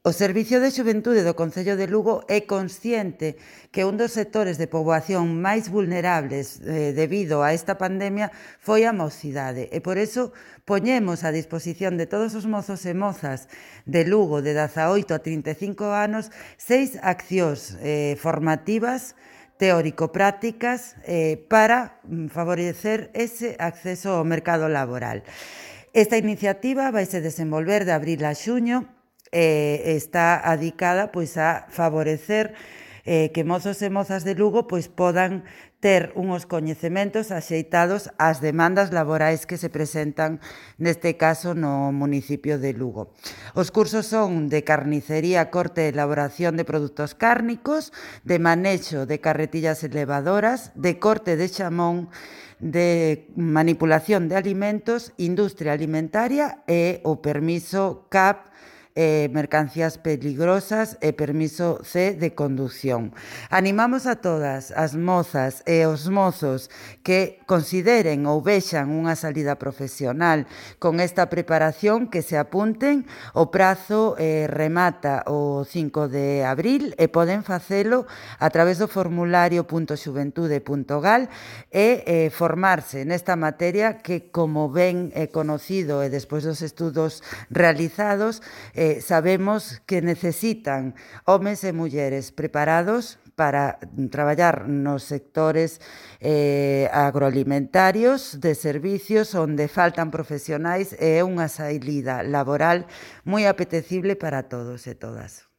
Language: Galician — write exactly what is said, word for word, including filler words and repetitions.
O Servicio de Xuventude do Concello de Lugo é consciente que un dos sectores de poboación máis vulnerables eh, debido a esta pandemia foi a mocidade e por eso poñemos a disposición de todos os mozos e mozas de Lugo de dezaoito a trinta e cinco anos seis accións eh, formativas teórico-prácticas eh, para favorecer ese acceso ao mercado laboral. Esta iniciativa vaise desenvolver de abril a xuño e está adicada pois a favorecer eh, que mozos e mozas de Lugo pois podan ter unhos coñecementos axeitados ás demandas laborais que se presentan neste caso no municipio de Lugo. Os cursos son de carnicería, corte e elaboración de produtos cárnicos, de manexo de carretillas elevadoras, de corte de xamón, de manipulación de alimentos, industria alimentaria e o permiso C A P Eh, mercancías peligrosas e permiso C de conducción. Animamos a todas as mozas e os mozos que consideren ou vexan unha salida profesional con esta preparación que se apunten. O prazo eh, remata o cinco de abril e poden facelo a través do formulario punto xuventude punto gal e eh, formarse nesta materia que, como ben é conocido e despois dos estudos realizados, Eh, sabemos que necesitan homes e mulleres preparados para traballar nos sectores eh, agroalimentarios, de servicios, onde faltan profesionais e é unha saída laboral moi apetecible para todos e todas.